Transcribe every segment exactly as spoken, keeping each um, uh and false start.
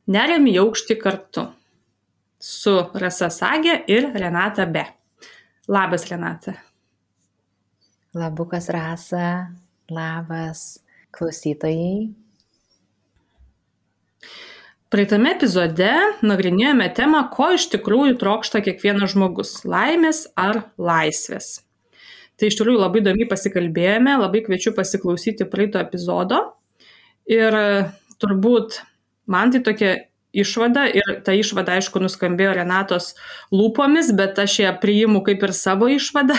Neriam į aukštį kartu su Rasa Sagė ir Renata B. Labas, Renata. Labukas, Rasa. Labas, klausytojai. Praeitame epizode nagrinėjome temą, ko iš tikrųjų trokšta kiekvienas žmogus – laimės ar laisvės. Tai iš tikrųjų labai įdomiai pasikalbėjome, labai kviečiu pasiklausyti praeito epizodo. Ir turbūt man tai tokia išvada, ir ta išvada, aišku, nuskambėjo Renatos lūpomis, bet aš ją priimu kaip ir savo išvadą,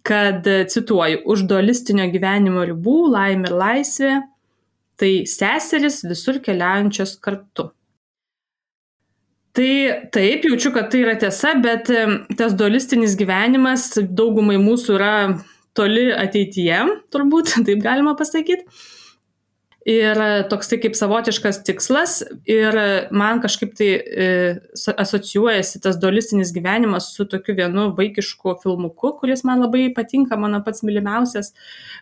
kad, cituoju, už dualistinio gyvenimo ribų laimė ir laisvė tai seseris visur keliaujančios kartu. Tai taip, jaučiu, kad tai yra tiesa, bet tas dualistinis gyvenimas daugumai mūsų yra toli ateityje, turbūt, taip galima pasakyti. Ir toks tai kaip savotiškas tikslas, ir man kažkaip tai e, asocijuojasi tas dualistinis gyvenimas su tokiu vienu vaikišku filmuku, kuris man labai patinka, mano pats mylimiausias,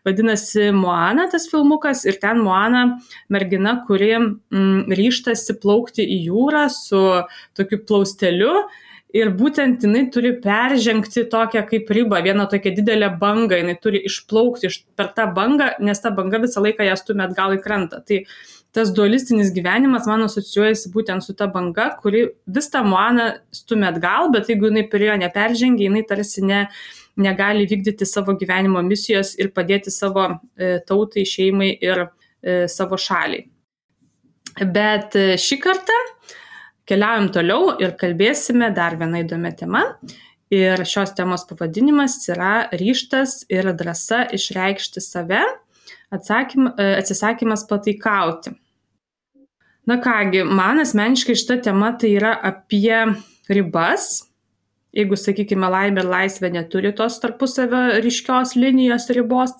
vadinasi Moana tas filmukas, ir ten Moana mergina, kuri mm, ryžtasi plaukti į jūrą su tokiu plausteliu. Ir būtent jinai turi peržengti tokią kaip ribą, vieną tokią didelę bangą, jinai turi išplaukti iš, per tą bangą, nes ta banga visą laiką ją stumia atgal į krantą. Tai tas dualistinis gyvenimas man asocijuojasi būtent su ta banga, kuri vis tą Moaną stumia atgal, bet jeigu jinai prie jo neperžengia, jinai tarsi ne, negali vykdyti savo gyvenimo misijos ir padėti savo e, tautai, šeimai ir e, savo šaliai. Bet e, šį kartą keliaujam toliau ir kalbėsime dar vieną įdomią temą. Ir šios temos pavadinimas yra ryžtas ir drąsa išreikšti save, atsakym, atsisakymas pataikauti. Na kągi, man asmeniškai šita tema tai yra apie ribas. Jeigu, sakykime, laimė ir laisvė neturi tos tarpusavio ryškios linijos ribos,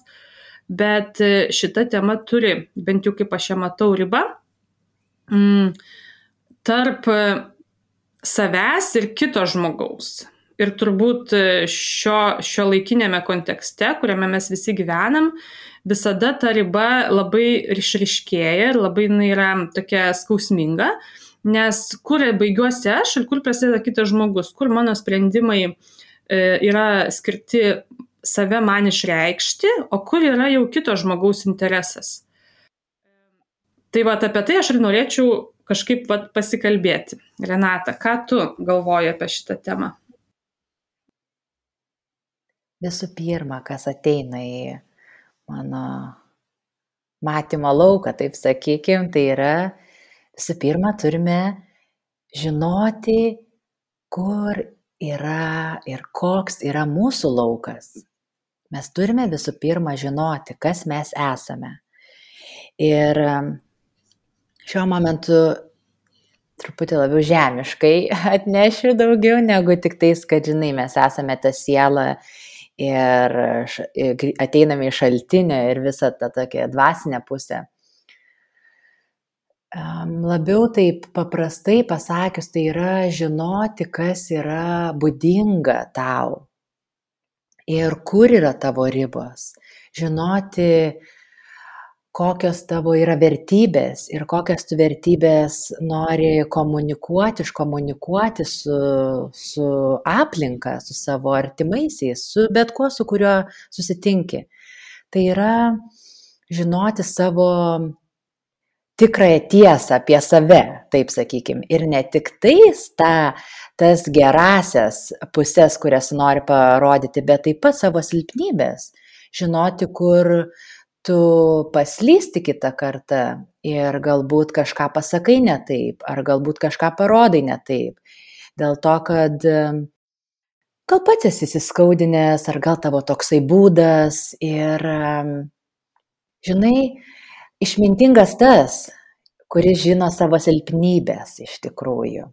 bet šita tema turi, bent jau kaip aš ją matau, ribą. Mm. tarp savęs ir kito žmogaus. Ir turbūt šio, šio laikinėme kontekste, kuriame mes visi gyvenam, visada ta riba labai išryškėja ir labai jinai yra tokia skausminga, nes kur baigiuosi aš ir kur prasideda kitas žmogus, kur mano sprendimai yra skirti save man išreikšti, o kur yra jau kito žmogaus interesas. Tai va, apie tai aš ir norėčiau kažkaip vat, pasikalbėti. Renata, ką tu galvoji apie šitą temą? Visų pirma, kas ateina į mano matymo lauką, taip sakykim, tai yra, visų pirma, turime žinoti, kur yra ir koks yra mūsų laukas. Mes turime visų pirma žinoti, kas mes esame. Ir šiuo momentu truputį labiau žemiškai atnešiu daugiau, negu tik tais, kad, žinai, mes esame ta siela ir ateiname į šaltinę ir visą tą tokią dvasinę pusę. Labiau taip paprastai pasakius, tai yra žinoti, kas yra būdinga tau ir kur yra tavo ribos. Žinoti, kokios tavo yra vertybės ir kokias tu vertybės nori komunikuoti, iškomunikuoti su, su aplinka, su savo artimaisiais, su bet kuo, su kuriuo susitinki. Tai yra žinoti savo tikrąją tiesą apie save, taip sakykim, ir ne tik tais ta, tas gerasias pusės, kurias nori parodyti, bet taip pat savo silpnybės. Žinoti, kur tu paslysti kitą kartą ir galbūt kažką pasakai ne taip, ar galbūt kažką parodai ne taip. Dėl to, kad gal pats esi įsiskaudinęs, ar gal tavo toksai būdas ir, žinai, išmintingas tas, kuris žino savo silpnybės iš tikrųjų,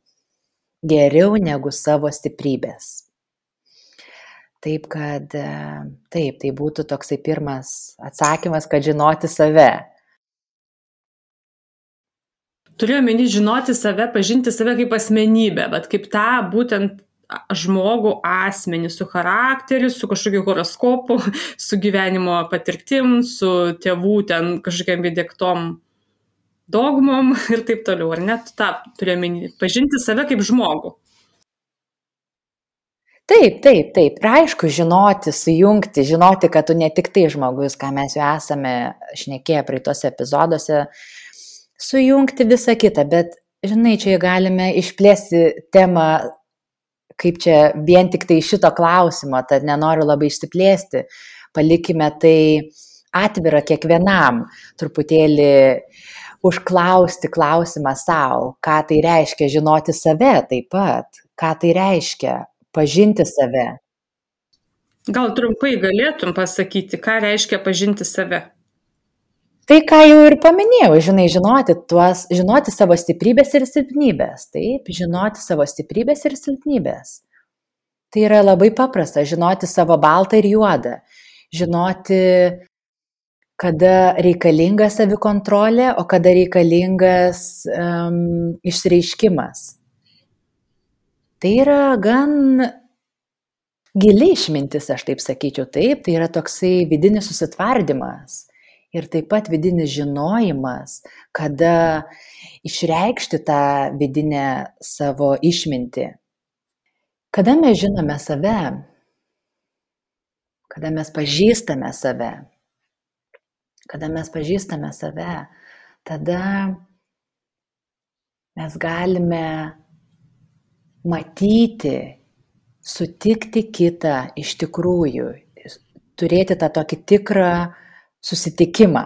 geriau negu savo stiprybės. Taip, kad taip, tai būtų toksai pirmas atsakymas, kad žinoti save. Turiu omeny žinoti save, pažinti save kaip asmenybę, bet kaip tą būtent žmogų asmenį, su charakteriu, su kažkokiu horoskopu, su gyvenimo patirtim, su tėvų ten kažkokiam įdiegtom dogmom ir taip toliau, ar net tą turėjome pažinti save kaip žmogų. Taip, taip, taip. Ir aišku, žinoti, sujungti, žinoti, kad tu ne tik tai žmogus, ką mes jau esame šnekėję praeitose epizoduose, sujungti visą kitą, bet, žinai, čia galime išplėsti temą, kaip čia vien tik tai šito klausimo, tad nenoriu labai išsiplėsti, palikime tai atvirą kiekvienam, truputėlį užklausti klausimą savo, ką tai reiškia žinoti save taip pat, ką tai reiškia pažinti save. Gal trumpai galėtum pasakyti, ką reiškia pažinti save? Tai, ką jau ir paminėjau, žinai, žinoti, tuos, žinoti savo stiprybės ir silpnybės. Taip, žinoti savo stiprybės ir silpnybės. Tai yra labai paprasta, žinoti savo baltą ir juodą. Žinoti, kada reikalinga savikontrolė, o kada reikalingas um, išreiškimas. Tai yra gan gili išmintis, aš taip sakyčiau, taip, tai yra toksai vidinis susitvardymas ir taip pat vidinis žinojimas, kada išreikšti tą vidinę savo išmintį. Kada mes žinome save, kada mes pažįstame save, kada mes pažįstame save, tada mes galime matyti, sutikti kitą iš tikrųjų, turėti tą tokį tikrą susitikimą.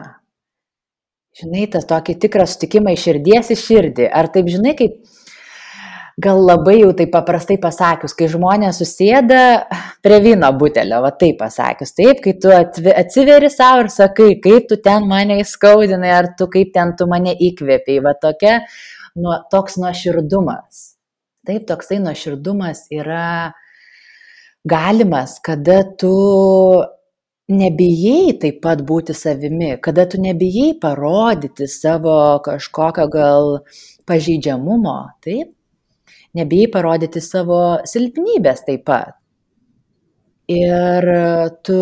Žinai, tas tokį tikrą susitikimą iš širdies į širdį. Ar taip, žinai, kaip gal labai jau taip paprastai pasakius, kai žmonės susėda prie vyno butelio, va taip pasakius, taip, kai tu atsiveri savo ir sakai, kaip tu ten mane įskaudinai, ar tu kaip ten tu mane įkvėpiai, va tokia, nu, toks nuoširdumas. Taip, toksai nuoširdumas yra galimas, kada tu nebijai taip pat būti savimi, kada tu nebijai parodyti savo kažkokio gal pažeidžiamumo, taip, nebijai parodyti savo silpnybės taip pat. Ir tu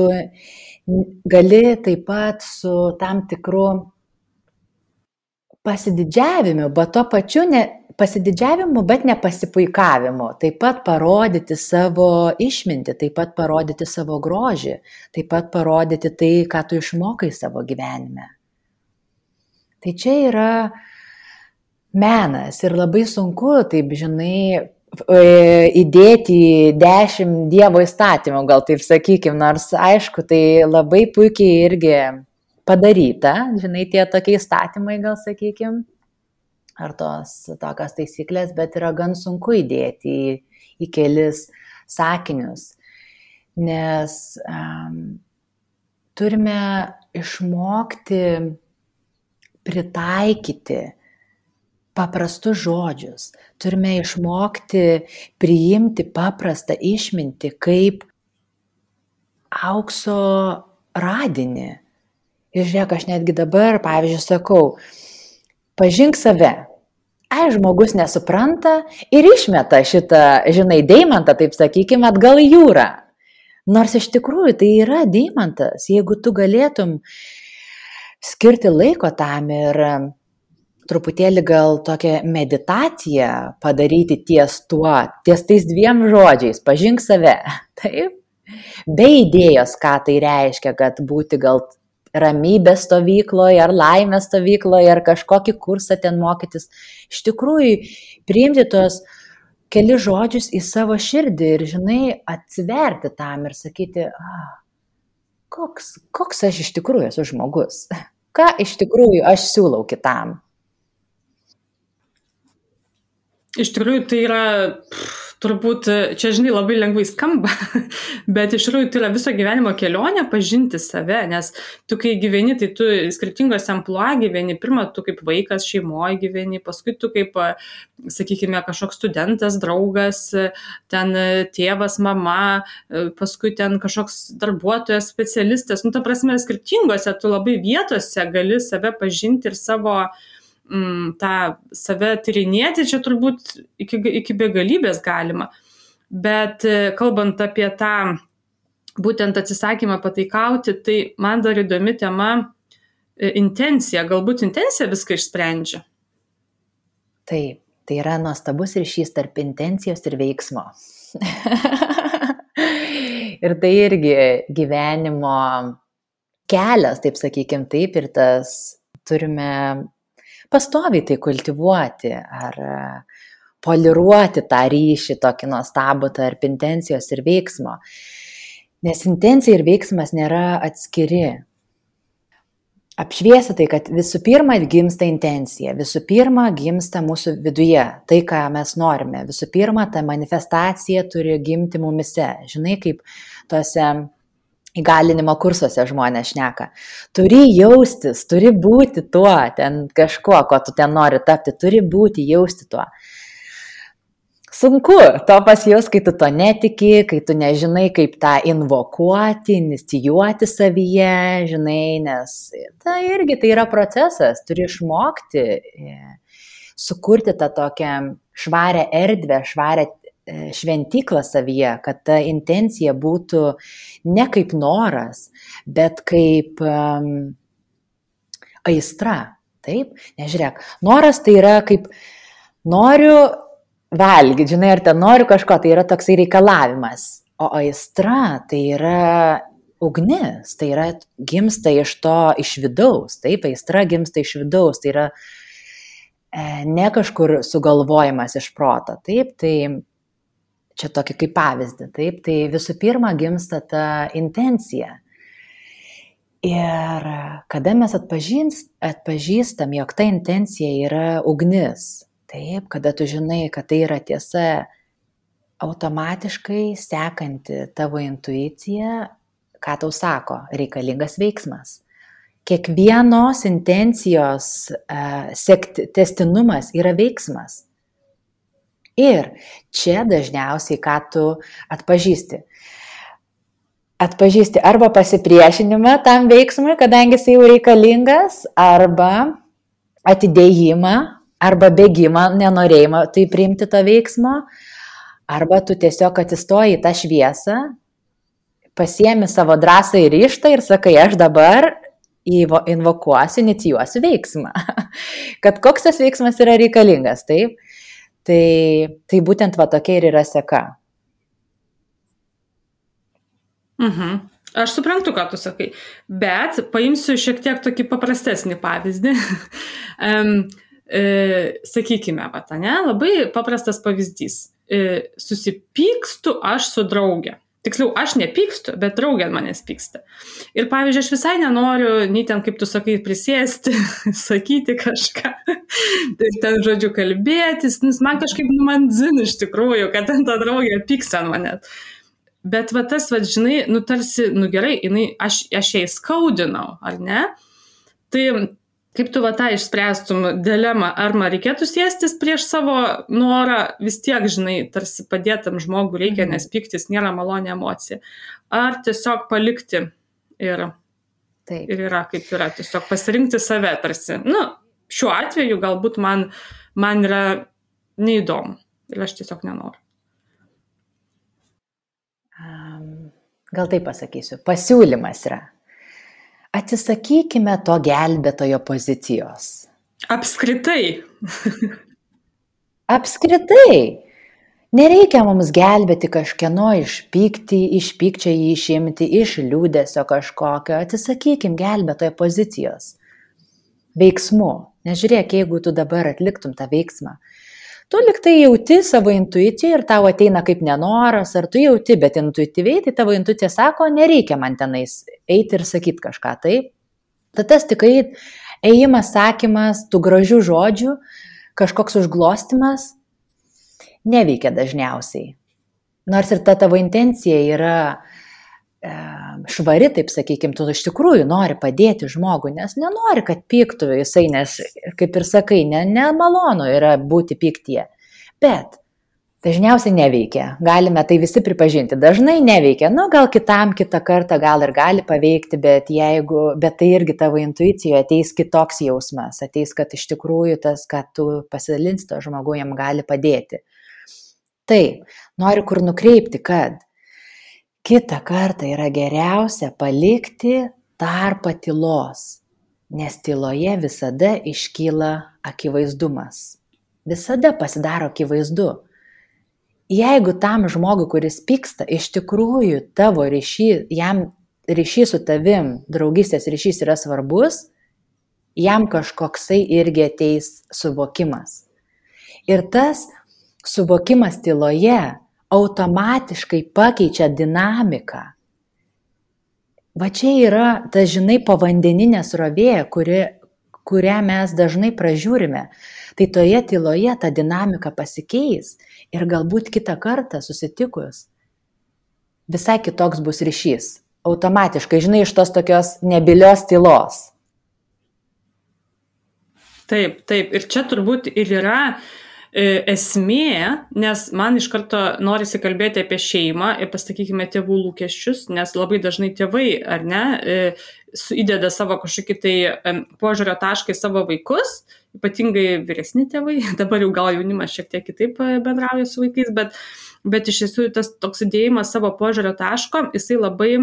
gali taip pat su tam tikru pasididžiavimu, bet to pačiu ne pasididžiavimu, bet ne pasipuikavimu, taip pat parodyti savo išmintį, taip pat parodyti savo grožį, taip pat parodyti tai, ką tu išmokai savo gyvenime. Tai čia yra menas ir labai sunku, taip žinai, įdėti dešimt Dievo įstatymų, gal taip sakykim, nors aišku, tai labai puikiai irgi padaryta, žinai, tie tokie įstatymai, gal sakykim, ar tos tokios taisyklės, bet yra gan sunku įdėti į, į kelis sakinius, nes um, turime išmokti pritaikyti paprastus žodžius, turime išmokti priimti paprastą išmintį kaip aukso radinį. Ir žiūrėk, aš netgi dabar, pavyzdžiui, sakau, pažink save. Ai, žmogus nesupranta ir išmeta šitą, žinai, deimantą, taip sakykime, atgal į jūrą. Nors iš tikrųjų tai yra deimantas, jeigu tu galėtum skirti laiko tam ir truputėlį gal tokią meditaciją padaryti ties tuo, ties tais dviem žodžiais, pažink save, taip, be idėjos, ką tai reiškia, kad būti gal ramybės stovykloje, ar laimės stovykloje, ar kažkokį kursą ten mokytis. Iš tikrųjų, priimti tos keli žodžius į savo širdį ir, žinai, atsiverti tam ir sakyti, ah, koks, koks aš iš tikrųjų esu žmogus, ką iš tikrųjų aš siūlau kitam. Iš tikrųjų, tai yra... Pff, turbūt čia, žinai, labai lengvai skamba, bet iš tikrųjų tai yra viso gyvenimo kelionė pažinti save, nes tu, kai gyveni, tai tu skirtingose amplua gyveni, pirmą tu kaip vaikas šeimoje gyveni, paskui tu kaip, sakykime, kažkoks studentas, draugas, ten tėvas, mama, paskui ten kažkoks darbuotojas, specialistas, nu, ta prasme, skirtingose tu labai vietose gali save pažinti ir savo tą save tyrinėti, čia turbūt iki, iki begalybės galima. Bet kalbant apie tą būtent atsisakymą pataikauti, tai man dar įdomi tema, intencija, galbūt intencija viską išsprendžia. Taip, tai yra nuostabus ryšys tarp intencijos ir veiksmo. Ir tai irgi gyvenimo kelias, taip sakykim, taip, ir tas turime pastoviai tai kultivuoti ar poliruoti tą ryšį tokį nuostabų tarp intencijos ir veiksmo. Nes intencija ir veiksmas nėra atskiri. Apšviesi tai, kad visų pirma gimsta intencija, visų pirma gimsta mūsų viduje, tai, ką mes norime. Visų pirma, ta manifestacija turi gimti mumise. Žinai, kaip tose įgalinimo kursuose žmonės šneka. Turi jaustis, turi būti tuo, ten kažkuo, ko tu ten nori tapti, turi būti, jausti tuo. Sunku to pasijaus, kai tu to netiki, kai tu nežinai, kaip tą invokuoti, inicijuoti savyje, žinai, nes tai irgi tai yra procesas, turi išmokti sukurti tą tokią švarę erdvę, švarę šventyklą savyje, kad ta intencija būtų ne kaip noras, bet kaip um, aistra, taip? Nežiūrėk, noras tai yra kaip noriu valgyti, žinai, ar ten noriu kažko, tai yra toksai reikalavimas, o aistra tai yra ugnis, tai yra gimsta iš to, iš vidaus, taip, aistra gimsta iš vidaus, tai yra e, ne kažkur sugalvojimas iš proto, taip, tai čia tokį kaip pavyzdį, taip, tai visų pirma gimsta ta intencija. Ir kada mes atpažins, atpažįstam, jog ta intencija yra ugnis, taip, kada tu žinai, kad tai yra tiesa, automatiškai sekanti tavo intuicija, ką tau sako, reikalingas veiksmas. Kiekvienos intencijos uh, sekti, testinumas yra veiksmas. Ir čia dažniausiai, ką tu atpažįsti. Atpažįsti arba pasipriešinimą tam veiksmui, kadangi jis jau reikalingas, arba atidėjimą, arba bėgimą, nenorėjimą tai priimti to veiksmo, arba tu tiesiog atsistoji į tą šviesą, pasiemi savo drąsą ir ryžtą ir sakai, aš dabar invokuosiu, inicijuosiu veiksmą. Kad koks tas veiksmas yra reikalingas, taip? Tai, tai būtent va tokia ir yra seka. Mhm. Aš suprantu, ką tu sakai, bet paimsiu šiek tiek tokį paprastesnį pavyzdį. um, e, sakykime, va, ne, labai paprastas pavyzdys. E, susipykstu aš su draugė. Tiksliau, aš nepykstu, bet draugė manęs pyksta. Ir pavyzdžiui, aš visai nenoriu, nei ten, kaip tu sakai, prisėsti, sakyti kažką, tai ten, žodžiu, kalbėtis, nes man kažkaip, nu, man dzin iš tikrųjų, kad ten ta draugė pyksta ant manęs. Bet va tas, va, žinai, nu, tarsi, nu, gerai, jinai, aš, aš ją įskaudinau, ar ne? Tai kaip tu va tą išspręstum dilemą, ar man reikėtų sėstis prieš savo norą, vis tiek, žinai, tarsi padėtam žmogui reikia, nes pyktis nėra maloni emocija. Ar tiesiog palikti ir, Taip. ir yra kaip yra, tiesiog pasirinkti save tarsi. Nu, šiuo atveju galbūt man, man yra neįdomu ir aš tiesiog nenoriu. Um, gal taip pasakysiu, pasiūlymas yra. Atsisakykime to gelbėtojo pozicijos. Apskritai. Apskritai. Nereikia mums gelbėti kažkieno iš pykti, iš pykčio jį išimti, iš liūdesio kažkokio. Atsisakykim gelbėtojo pozicijos. Veiksmu. Nežiūrėk, jeigu tu dabar atliktum tą veiksmą. Tu liktai jauti savo intuiciją ir tau ateina kaip nenoras, ar tu jauti, bet intuityviai, tai tavo intuicija sako, nereikia man tenais eiti ir sakyti kažką, taip? Tad tas tik ėjimas, sakymas, tų gražių žodžių, kažkoks užglostimas neveikia dažniausiai. Nors ir ta tavo intencija yra e, švari, taip sakykim, tu iš tikrųjų nori padėti žmogui, nes nenori, kad pyktų jisai, nes, kaip ir sakai, ne, nemalonu yra būti pyktyje. Bet dažniausiai neveikia. Galime tai visi pripažinti. Dažnai neveikia. Nu, gal kitam kitą kartą gal ir gali paveikti, bet, jeigu, bet tai irgi tavo intuicijoje ateis kitoks jausmas. Ateis, kad iš tikrųjų tas, kad tu pasidalinsi to žmogui, jam gali padėti. Taip, noriu kur nukreipti, kad kitą kartą yra geriausia palikti tarpą tylos. nes tyloje visada iškyla akivaizdumas. Visada pasidaro akivaizdu. Jeigu tam žmogui, kuris pyksta, iš tikrųjų tavo ryšys, jam ryšys su tavim, draugystės ryšys yra svarbus, jam kažkoksai irgi ateis suvokimas. Ir tas suvokimas tyloje automatiškai pakeičia dinamiką. Va čia yra ta, žinai, povandeninė srovė, kuri, kurią mes dažnai pražiūrime. Tai toje tyloje ta dinamika pasikeis ir galbūt kitą kartą susitikus visai kitoks bus ryšys. Automatiškai, žinai, iš tos tokios nebylios tylos. Taip, taip. Ir čia turbūt ir yra esmė, nes man iš karto norisi kalbėti apie šeimą ir pasakykime tėvų lūkesčius, nes labai dažnai tėvai, ar ne, įdeda savo kažkokį tai požiūrio tašką į savo vaikus, ypatingai vyresni tėvai, dabar jau gal jaunimas šiek tiek kitaip bendrauja su vaikais, bet, bet iš tiesų tas toks įdėjimas savo požiūrio taško, jisai labai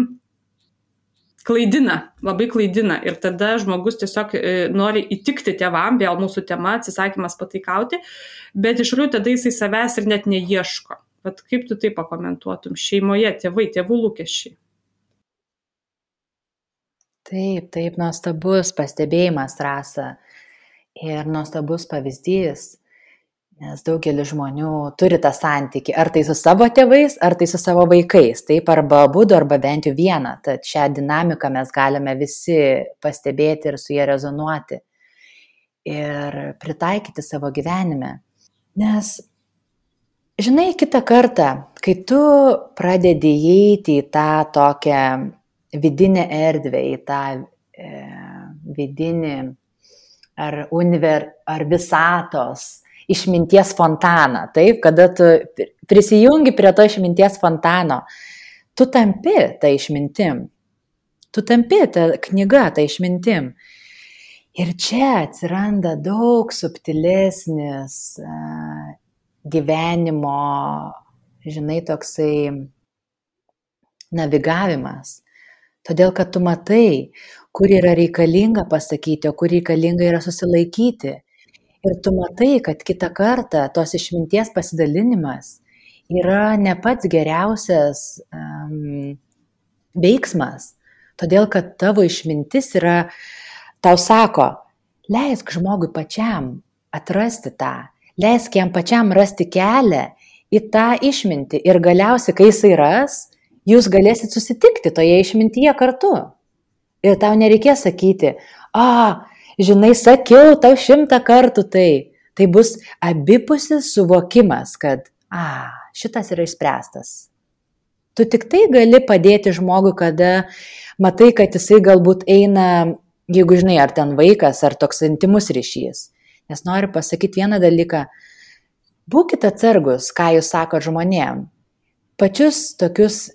klaidina, labai klaidina ir tada žmogus tiesiog e, nori įtikti tėvam, vėl mūsų tema, atsisakymas pataikauti, bet iš tikrųjų tada jisai savęs ir net neieško. Bet kaip tu tai pakomentuotum šeimoje, tėvai, tėvų lūkesčiai? Taip, taip, nuostabus pastebėjimas, Rasa, ir nuostabus pavyzdys, nes daugelis žmonių turi tą santykį, ar tai su savo tėvais, ar tai su savo vaikais, taip, arba abudu, arba bent jau vieną. Tad šią dinamiką mes galime visi pastebėti ir su jie rezonuoti ir pritaikyti savo gyvenime. Nes, žinai, kitą kartą, kai tu pradedi įeiti į tą tokią vidinę erdvę, į tą e, vidinį ar, univer, ar visatos išminties fontaną, taip, kada tu prisijungi prie to išminties fontano, tu tampi tą išmintim, tu tampi tą knygą tą išmintim. Ir čia atsiranda daug subtilesnis uh, gyvenimo, žinai, toksai navigavimas. Todėl, kad tu matai, kur yra reikalinga pasakyti, o kur reikalinga yra susilaikyti. Ir tu matai, kad kitą kartą tos išminties pasidalinimas yra ne pats geriausias um, veiksmas, todėl kad tavo išmintis yra, tau sako, leisk žmogui pačiam atrasti tą, leisk jam pačiam rasti kelią į tą išmintį ir galiausiai, kai jisai ras, jūs galėsit susitikti toje išmintyje kartu. Ir tau nereikės sakyti, a, žinai, sakiau tau šimtą kartų tai. Tai bus abipusis suvokimas, kad a, šitas yra išspręstas. Tu tik tai gali padėti žmogui, kada matai, kad jisai galbūt eina, jeigu žinai, ar ten vaikas, ar toks intimus ryšys. Nes noriu pasakyti vieną dalyką. Būkite atsargus, ką jūs sakot žmonėm. Pačius tokius,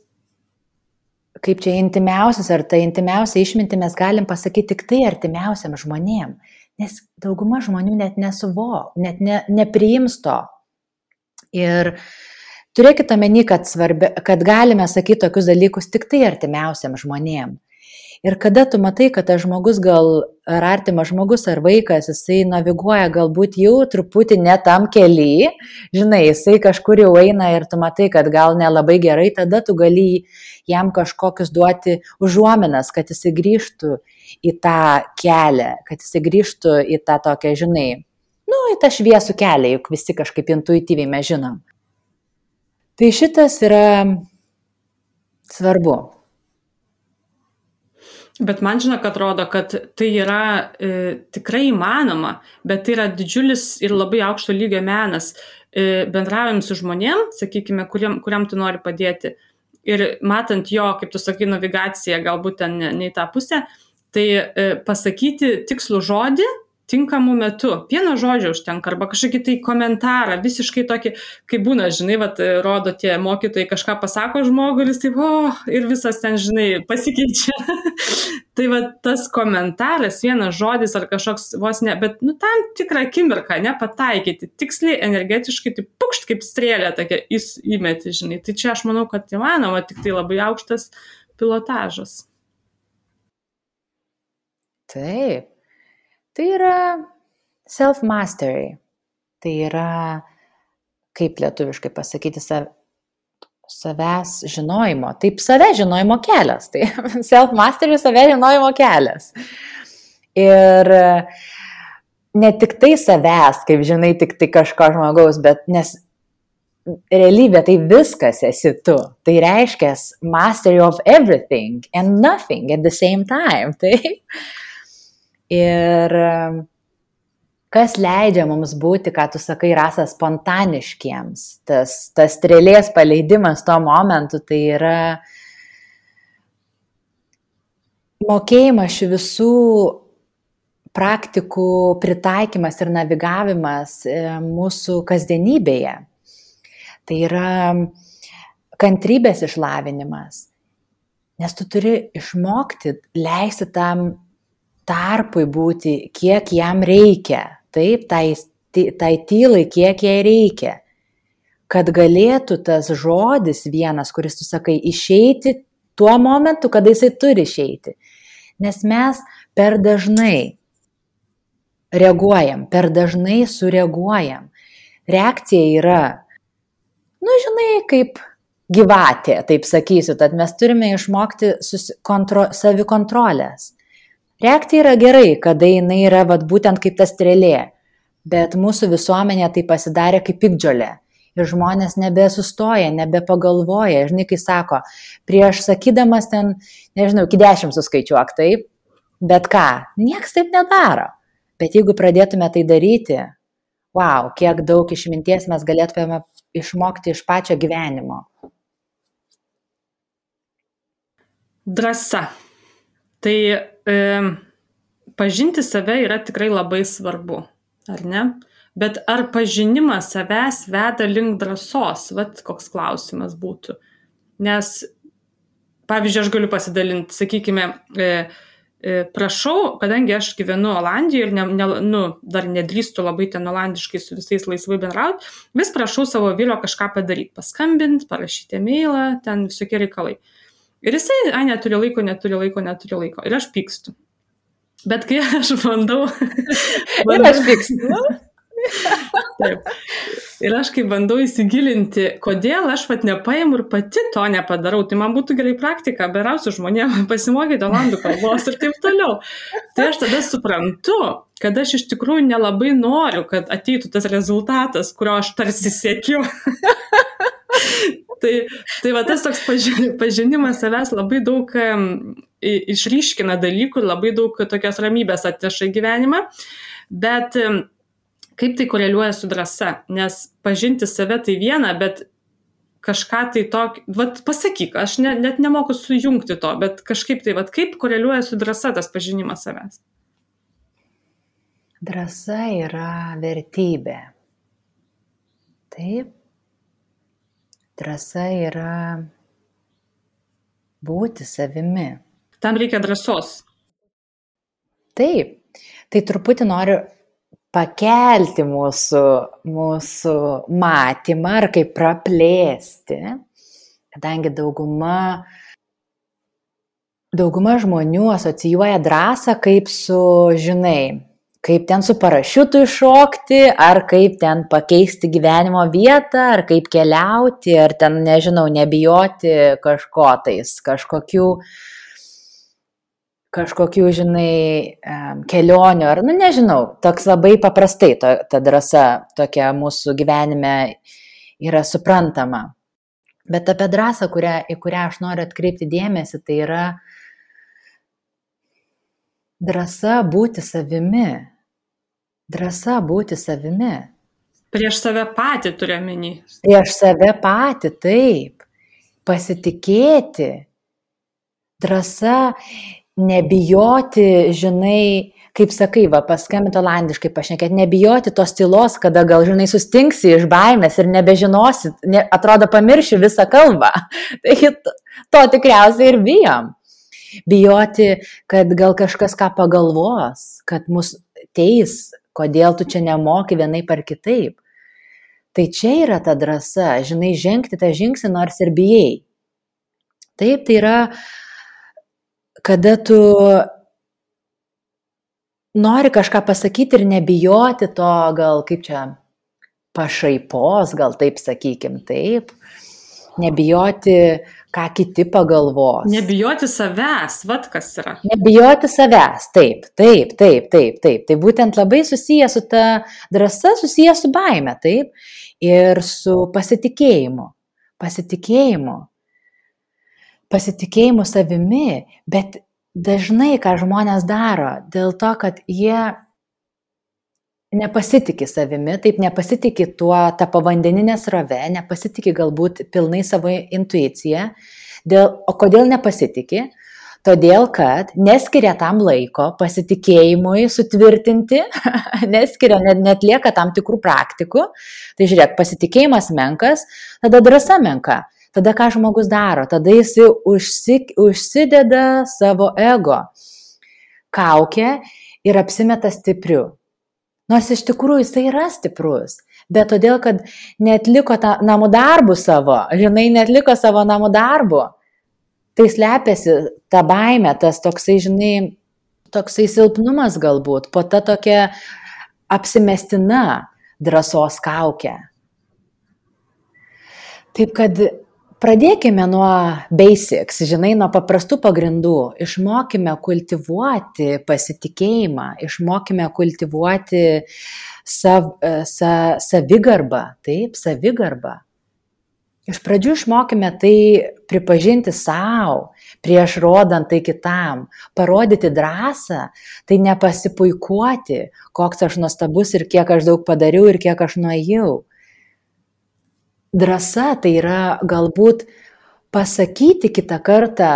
kaip čia intimiausias, ar tai intimiausia išmintį mes galim pasakyti tik tai artimiausiam žmonėm, nes dauguma žmonių net nesuvo, net ne, nepriims to. Ir turėkite omeny, kad, svarbi, kad galime sakyti tokius dalykus tik tai artimiausiam žmonėm. Ir kada tu matai, kad tas žmogus gal, ar artimas žmogus, ar vaikas, jisai naviguoja galbūt jau truputį ne tam kely, žinai, jisai kažkur jau eina ir tu matai, kad gal nelabai gerai, tada tu gali jam kažkokius duoti užuominas, kad jisai grįžtų į tą kelią, kad jisai grįžtų į tą tokią, žinai, nu, į tą šviesų kelią, juk visi kažkaip intuityviai mes žinom. Tai šitas yra svarbu. Bet man žinok, atrodo, kad tai yra e, tikrai įmanoma, bet tai yra didžiulis ir labai aukšto lygio menas. E, bendraujam su žmonėm, sakykime, kuriam, kuriam tu nori padėti. Ir matant jo, kaip tu sakai, navigaciją, galbūt ten ne, ne į tą pusę, tai e, pasakyti tikslų žodį tinkamų metu. Vieno žodžio užtenka, arba kažkokį tai komentarą, visiškai tokį, kaip būna, žinai, vat, rodo tie mokytojai, kažką pasako žmogui ir jis taip, o, ir visas ten, žinai, pasikeičia. Tai va tas komentaras, vienas žodis ar kažkoks vos ne, bet, nu, tam tikrą akimirką, ne, pataikyti, tiksliai, energetiškai, tai pukšt kaip strėlė tokia įmeti, žinai. Tai čia aš manau, kad įmanoma, tik tai labai aukštas pilotažas. Taip. Tai yra self-mastery. Tai yra, kaip lietuviškai pasakyti, sav, savęs žinojimo. Taip, savęs žinojimo kelias. Tai self-mastery, savęs žinojimo kelias. Ir ne tik tai savęs, kaip žinai, tik tai kažko žmogaus, bet nes realybė tai viskas esi tu. Tai reiškia mastery of everything and nothing at the same time. Tai. Ir kas leidžia mums būti, ką tu sakai, Rasa, spontaniškiems. Tas, tas strėlės paleidimas tuo momentu, tai yra mokėjimas šių visų praktikų pritaikymas ir navigavimas mūsų kasdienybėje. Tai yra kantrybės išlavinimas, nes tu turi išmokti leisti tam tarpui būti, kiek jam reikia, taip, tai, tai tylai, kiek jai reikia, kad galėtų tas žodis vienas, kuris tu sakai, išeiti tuo momentu, kada jisai turi išeiti. Nes mes per dažnai reaguojam, per dažnai sureaguojam. Reakcija yra, nu, žinai, kaip gyvatė, taip sakysiu, tad mes turime išmokti kontro, savikontrolės. Reakcija yra gerai, kada jinai yra vat, būtent kaip ta strėlė, bet mūsų visuomenė tai pasidarė kaip piktžolė. Ir žmonės nebesustoja, nebepagalvoja. Žinai, kai sako, prieš sakydamas ten, nežinau, iki dešimt suskaičiuok, taip, bet ką, nieks taip nedaro. Bet jeigu pradėtume tai daryti, wow, kiek daug išminties mes galėtume išmokti iš pačio gyvenimo. Drąsa. Tai e, pažinti save yra tikrai labai svarbu, ar ne? Bet ar pažinimas savęs veda link drąsos? Vat koks klausimas būtų. Nes, pavyzdžiui, aš galiu pasidalinti, sakykime, e, prašau, kadangi aš gyvenu Olandijoje ir ne, ne, nu, dar nedrįstu labai ten olandiškai su visais laisvai bendrauti, vis prašau savo vyro kažką padaryti, paskambinti, parašyti e-mailą, ten visokie reikalai. Ir jisai, a, neturi laiko, neturi laiko, neturi laiko. Ir aš pykstu. Bet kai aš bandau... bandau ir aš pykstu. Taip. Ir aš kai bandau įsigilinti, kodėl aš vat nepaimu ir pati to nepadarau, tai man būtų gerai praktika, berausiu žmonėm pasimokyti olandų kalbos ir taip toliau. Tai aš tada suprantu, kad aš iš tikrųjų nelabai noriu, kad ateitų tas rezultatas, kurio aš tarsi siekiu. tai, tai va tas toks pažinimas savęs labai daug um, išryškina dalykų ir labai daug tokios ramybės atneša į gyvenimą, bet um, kaip tai koreliuoja su drąsa, nes pažinti save tai viena, bet kažką tai tokio, vat pasakyk, aš ne, net nemoku sujungti to, bet kažkaip tai, vat kaip koreliuoja su drąsa tas pažinimas savęs? Drąsa yra vertybė. Taip. Drąsa yra būti savimi. Tam reikia drąsos. Taip. Tai truputį noriu pakelti mūsų, mūsų matymą ar kaip praplėsti, kadangi dauguma, dauguma žmonių asocijuoja drąsą kaip su, žinai, kaip ten su parašiutu iššokti, ar kaip ten pakeisti gyvenimo vietą, ar kaip keliauti, ar ten, nežinau, nebijoti kažko tais, kažkokių kažkokių, žinai, kelionių, ar, nu, nežinau, toks labai paprastai to, ta drąsa tokia mūsų gyvenime yra suprantama. Bet apie drąsą, kurią, į kurią aš noriu atkreipti dėmesį, tai yra drąsa būti savimi. Drąsa būti savimi. Prieš save patį turiu omeny. Prieš save patį, taip. Pasitikėti. Drąsa nebijoti, žinai, kaip sakai, va, paskambinti olandiškai pašnekėti, nebijoti tos tylos, kada gal, žinai, sustingsi iš baimės ir nebežinosi, ne, atrodo, pamirši visą kalbą. Tai to, to tikriausiai ir bijom. Bijoti, kad gal kažkas ką pagalvos, kad mus teis, kodėl tu čia nemoki vienaip ar kitaip. Tai čia yra ta drąsa, žinai, žengti tą žingsnį nors ir bijai. Taip, tai yra kada tu nori kažką pasakyti ir nebijoti to, gal kaip čia, pašaipos, gal taip sakykim, taip. Nebijoti, ką kiti pagalvos. Nebijoti savęs, vat kas yra. Nebijoti savęs, taip, taip, taip, taip, taip. Tai būtent labai susiję su ta drąsa, susiję su baime, taip, ir su pasitikėjimu. Pasitikėjimu. Pasitikėjimu savimi, bet dažnai, ką žmonės daro, dėl to, kad jie nepasitikė savimi, taip nepasitikė tuo tą povandeninę srovę, nepasitikė galbūt pilnai savo intuiciją. Dėl, o kodėl nepasitikė? Todėl, kad neskiria tam laiko pasitikėjimui sutvirtinti, neskiria, net, net lieka tam tikrų praktikų. Tai žiūrėk, pasitikėjimas menkas, tada drąsa menka. Tada ką žmogus daro? Tada jis užsi, užsideda savo ego kaukę ir apsimeta stipriu. Nors iš tikrųjų jis yra stiprus, bet todėl, kad neatliko tą namų darbų savo, žinai, neatliko savo namų darbų, tai slepiasi ta baimė, tas toksai, žinai, toksai silpnumas galbūt, po ta tokia apsimestina drąsos kaukė. Taip kad pradėkime nuo basics, žinai, nuo paprastų pagrindų. Išmokime kultivuoti pasitikėjimą, išmokime kultivuoti sav, sa, savigarbą, taip, savigarbą. Iš pradžių išmokime tai pripažinti savo, prieš rodant tai kitam, parodyti drąsą, tai nepasipuikuoti, koks aš nuostabus ir kiek aš daug padariau ir kiek aš nuėjau. Drąsa tai yra galbūt pasakyti kitą kartą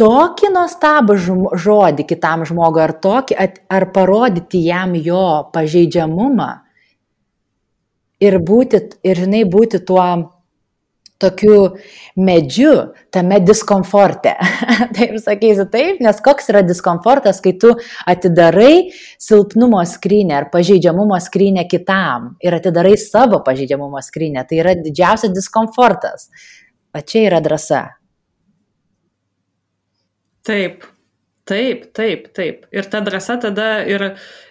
tokį nuostabų žodį kitam žmogui, ar, tokį, ar parodyti jam jo pažeidžiamumą ir, būti, ir žinai, būti tuo tokiu medžiu tame diskomforte. Taip sakysiu taip, nes koks yra diskomfortas, kai tu atidarai silpnumo skrynę ar pažeidžiamumo skrynę kitam ir atidarai savo pažeidžiamumo skrynę. Tai yra didžiausias diskomfortas. O čia yra drąsa. Taip, taip, taip, taip. Ir ta drąsa tada ir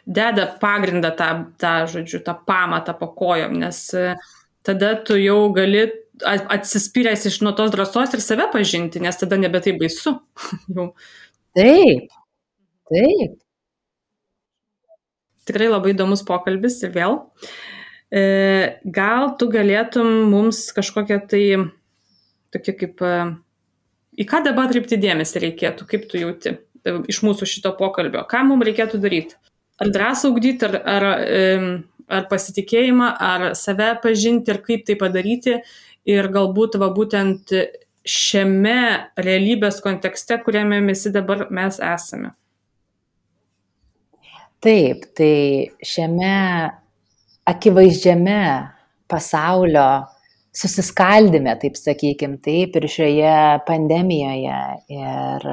deda pagrindą tą, tą žodžiu, tą pamatą po kojom, nes tada tu jau gali atsispyręs iš nuo tos drąsos ir save pažinti, nes tada nebe tai baisu. Taip, taip. Tikrai labai įdomus pokalbis ir vėl. E, gal tu galėtum mums kažkokią tai, tokia kaip, į ką dabar atkreipti dėmesį reikėtų, kaip tu jauti iš mūsų šito pokalbio, ką mums reikėtų daryti? Ar drąsą ugdyti, ar, ar, ar pasitikėjimą, ar save pažinti ir kaip tai padaryti? Ir galbūt va būtent šiame realybės kontekste, kuriame visi dabar mes esame. Taip, tai šiame akivaizdžiame pasaulio susiskaldime, taip sakykim, taip, ir šioje pandemijoje. Ir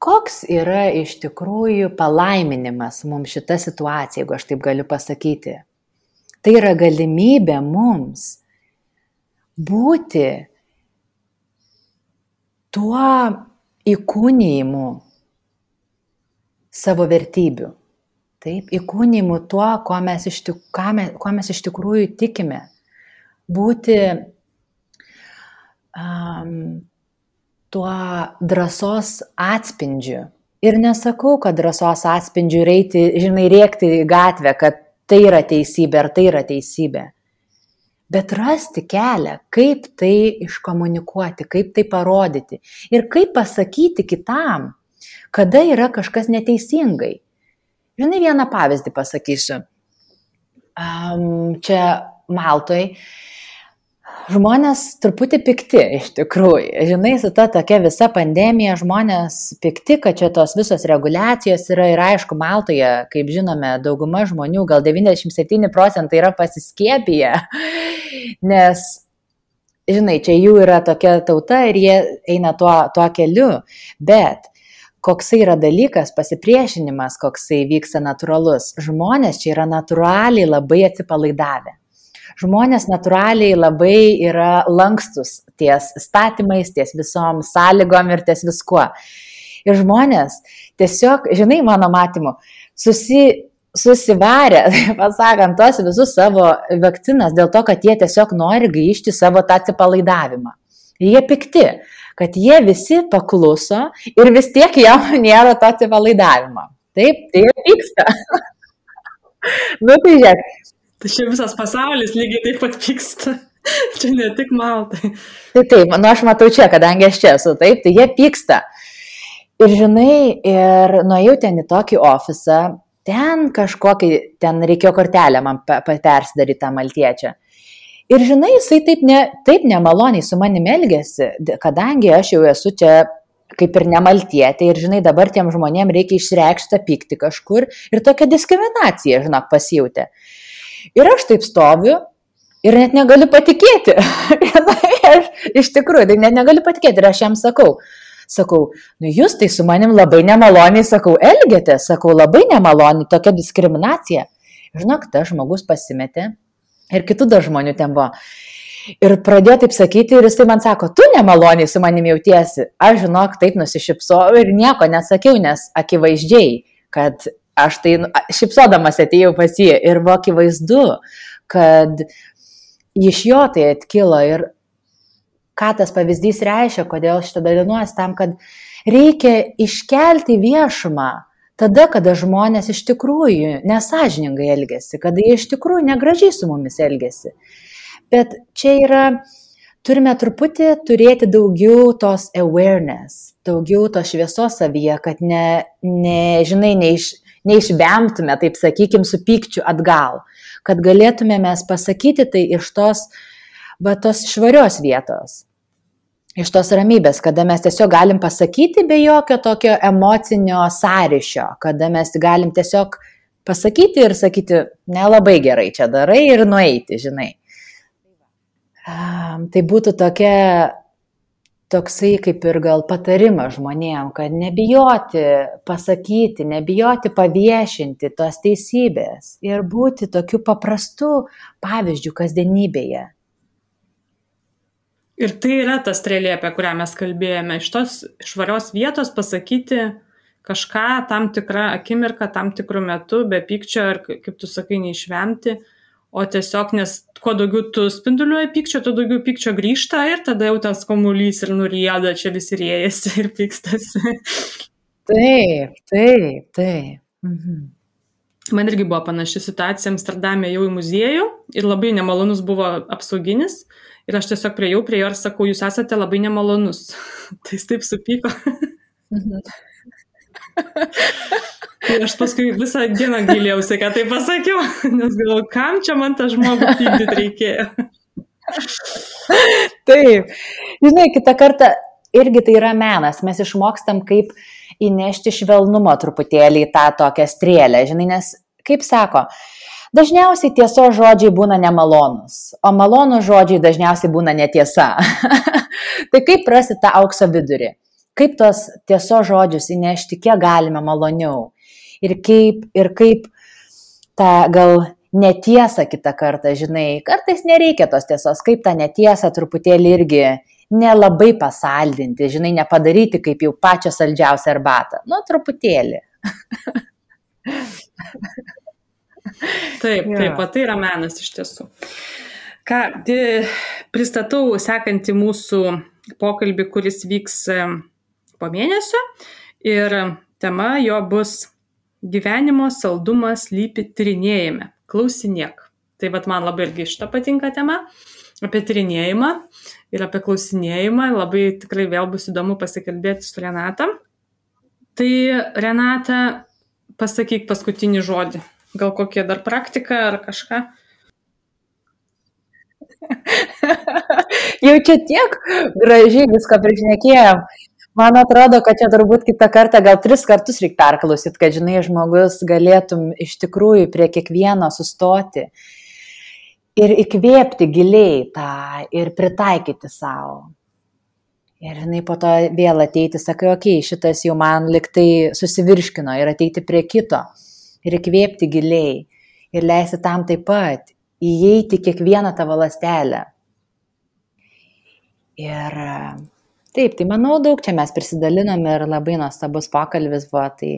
koks yra iš tikrųjų palaiminimas mums šita situacija, jeigu aš taip galiu pasakyti. Tai yra galimybė mums būti tuo įkūnijimu savo vertybių. Taip, įkūnijimu tuo, ko mes iš, tik, mes, ko mes iš tikrųjų tikime. Būti um, tuo drąsos atspindžiu. Ir nesakau, kad drąsos atspindžiu reiti, žinai, rėkti į gatvę, kad tai yra teisybė ar tai yra teisybė. Bet rasti kelią, kaip tai iškomunikuoti, kaip tai parodyti ir kaip pasakyti kitam, kada yra kažkas neteisingai. Žinai, vieną pavyzdį pasakysiu. Um, čia Maltoj žmonės truputį pikti iš tikrųjų. Žinai, su ta tokia visa pandemija žmonės pikti, kad čia tos visos reguliacijos yra ir aišku, Maltoje, kaip žinome, dauguma žmonių, gal devyniasdešimt septyni procentai yra pasiskiepiję, nes, žinai, čia jų yra tokia tauta ir jie eina tuo, tuo keliu, bet koksai yra dalykas, pasipriešinimas, koksai vyksta natūralus. Žmonės čia yra natūraliai labai atsipalaidavę. Žmonės natūraliai labai yra lankstus ties statymais, ties visom sąlygom ir ties viskuo. Ir žmonės tiesiog, žinai, mano matymu, susi, susivarė, pasakant, tos visus savo vakcinas dėl to, kad jie tiesiog nori grįžti savo tą atsipalaidavimą. Ir jie pikti, kad jie visi pakluso ir vis tiek jau nėra to atsipalaidavimo. Taip, tai jie pyksta. Nu tai žiūrėk. Tai čia visas pasaulis lygiai taip pat pyksta. Čia ne tik Maltai. Tai taip, nu aš matau čia, kadangi aš čia esu, taip, tai jie pyksta. Ir žinai, ir nuėjau ten į tokį ofisą, ten kažkokį, ten reikėjo kortelę man persidaryti tą maltiečią. Ir žinai, jisai taip, ne, taip nemaloniai su manimi elgėsi, kadangi aš jau esu čia kaip ir nemaltietė ir žinai, dabar tiem žmonėm reikia išreikšti pykti kažkur ir tokia diskriminacija, žinok, pasijautė. Ir aš taip stoviu ir net negaliu patikėti. Aš, iš tikrųjų, tai net negaliu patikėti ir aš jam sakau, sakau, nu jūs tai su manim labai nemaloniai, sakau, elgėte, sakau, labai nemaloniai, tokia diskriminacija. Žinok, tas žmogus pasimetė ir kitų dar žmonių ten buvo. Ir pradėjo taip sakyti ir jis tai man sako, tu nemaloniai su manim jautiesi. Aš, žinok, taip nusišypsojau ir nieko nesakiau, nes akivaizdžiai, kad aš tai šypsodamas atėjau pas jį ir buvo akivaizdu, kad iš jo tai atkilo ir ką tas pavyzdys reiškia, kodėl šitą dalinuosi tam, kad reikia iškelti viešumą tada, kada žmonės iš tikrųjų nesąžiningai elgiasi, kada jie iš tikrųjų negražiai su mumis elgiasi. Bet čia yra, turime truputį turėti daugiau tos awareness, daugiau tos šviesos savyje, kad ne, ne, žinai, neiš, neišvemtume, taip sakykim, su pykčiu atgal, kad galėtume mes pasakyti tai iš tos, va, tos švarios vietos, iš tos ramybės, kada mes tiesiog galim pasakyti be jokio tokio emocinio sąryšio, kada mes galim tiesiog pasakyti ir sakyti, nelabai gerai čia darai ir nueiti, žinai. Tai būtų tokia, toksai kaip ir gal patarimas žmonėm, kad nebijoti pasakyti, nebijoti paviešinti tos teisybės ir būti tokiu paprastu pavyzdžiu kasdienybėje. Ir tai yra ta strėlė, apie kurią mes kalbėjome, iš tos švarios vietos pasakyti kažką tam tikrą akimirką, tam tikrų metų, be pykčio ir, kaip tu sakai, neišvemti, o tiesiog, nes kuo daugiau tu spinduliuoji pykčio, tuo daugiau pykčio grįžta ir tada jau tas kamuolys ir nurieda, čia visi rėjasi ir pykstasi. Taip, taip, taip. Mhm. Man irgi buvo panaši situacija, Amsterdame jau į muziejų ir labai nemalonus buvo apsauginis ir aš tiesiog priejau prie jo ir sakau, jūs esate labai nemalonus. Tai jis taip supyko. Mhm. Ir aš paskui visą dieną gailėjausi, ką tai pasakiau, nes galvoju, kam čia man tą žmogų pykdyti reikėjo. Taip, žinai, kitą kartą irgi tai yra menas, mes išmokstam kaip įnešti švelnumo truputėlį į tą tokią strėlę, žinai, nes, kaip sako, dažniausiai tiesos žodžiai būna nemalonus, o malonų žodžiai dažniausiai būna netiesa. Tai kaip rasti tą aukso vidurį? Kaip tos tiesos žodžius įnešti, kiek galime maloniau? Ir kaip, ir kaip tą gal netiesą kitą kartą, žinai, kartais nereikia tos tiesos, kaip tą netiesą truputėlį irgi nelabai pasaldinti, žinai, nepadaryti kaip jau pačią saldžiausią arbatą. Nu, truputėlį. Taip, taip, o tai yra menas iš tiesų. Ką, pristatau sekantį mūsų pokalbį, kuris vyks po mėnesio ir tema jo bus gyvenimo saldumas slypi tyrinėjime. Klausinėk. Tai vat man labai irgi šitą patinka tema apie tyrinėjimą ir apie klausinėjimą. Labai tikrai vėl bus įdomu pasikalbėti su Renata. Tai Renata, pasakyk paskutinį žodį. Gal kokia dar praktika ar kažką? Jau čia tiek gražiai viską prišnekėjom. Man atrodo, kad čia turbūt kitą kartą gal tris kartus reikia perklausyti, kad, žinai, žmogus galėtum iš tikrųjų prie kiekvieno sustoti ir įkvėpti giliai tą ir pritaikyti savo. Ir, žinai, po to vėl ateiti, sakai, okei, okay, šitas jau man liktai susivirškino ir ateiti prie kito ir įkvėpti giliai ir leisti tam taip pat įeiti kiekvieną tavo ląstelę. Ir Taip, tai manau, daug čia mes prisidalinam ir labai nuostabus pokalbis buvo, tai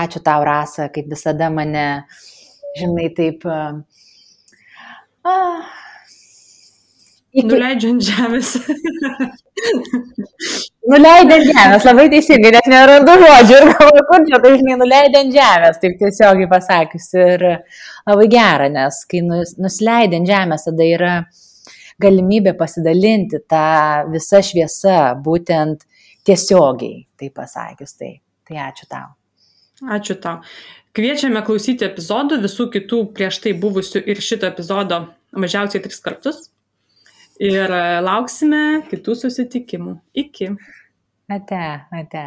ačiū tau, Rasa, kaip visada mane, žinai, taip... Ah, iki... Nuleidžiant žemės. Nuleidžiant žemės, labai teisingai, nes nerandu žodžių ir galvoju, kur čia, tai žinai, nuleidžiant žemės, taip tiesiogiai pasakius. Ir labai gera, nes kai nusileidžiant žemės, tada yra galimybė pasidalinti tą visą šviesą, būtent tiesiogiai, taip pasakius. Tai, tai ačiū tau. Ačiū tau. Kviečiame klausyti epizodų, visų kitų prieš tai buvusių ir šito epizodo mažiausiai tris kartus. Ir lauksime kitų susitikimų. Iki. Ate, ate.